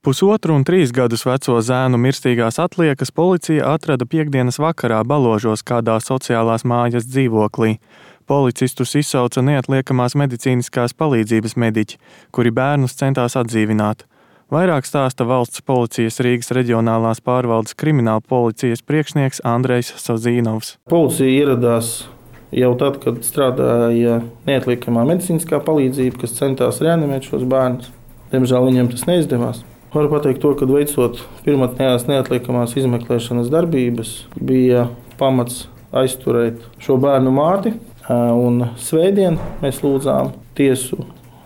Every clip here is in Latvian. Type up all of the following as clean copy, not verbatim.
1,5 un 3 gadus veco zēnu mirstīgās atliekas policija atrada piektdienas vakarā Baložos kādā sociālās mājas dzīvoklī. Policistus izsauca neatliekamās medicīniskās palīdzības mediķi, kuri bērnus centās atdzīvināt. Vairāk stāsta valsts policijas Rīgas reģionālās pārvaldes krimināla policijas priekšnieks Andrejs Sozīnovs. Policija ieradās jau tad, kad strādāja neatliekamā medicīniskā palīdzība, kas centās reanimēt šos bērnus. Diemžēl viņiem tas neizdevās. Varu pateikt to, ka veicot pirmotnējās neatliekamās izmeklēšanas darbības, bija pamats aizturēt šo bērnu māti. Un svētdien mēs lūdzām tiesu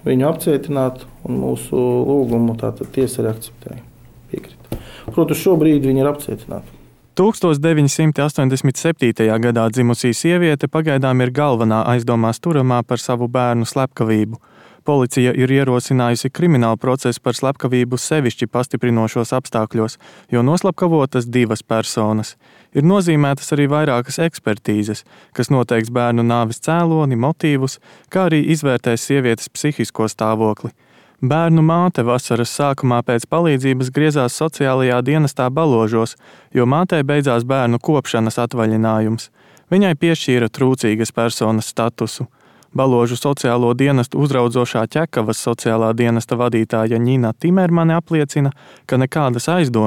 viņu apcietināt, un mūsu lūgumu tātad tiesa arī akceptēja. Piekrita. Protams, šobrīd viņi ir apcietināti. 1987. gadā dzimusī sieviete pagaidām ir galvenā aizdomās turamā par savu bērnu slepkavību. Policija ir ierosinājusi kriminālu procesu par slepkavību sevišķi pastiprinošos apstākļos, jo noslepkavotas 2 personas. Ir nozīmētas arī vairākas ekspertīzes, kas noteiks bērnu nāves cēloni, motīvus, kā arī izvērtēs sievietes psihisko stāvokli. Bērnu māte vasaras sākumā pēc palīdzības griezās sociālajā dienestā Baložos, jo mātei beidzās bērnu kopšanas atvaļinājums. Viņai piešķīra trūcīgas personas statusu. Baložu sociālo dienestu uzraudzošā Ķekavas sociālā dienesta vadītāja Ņina Timermane apliecina, ka nekādas aizdomas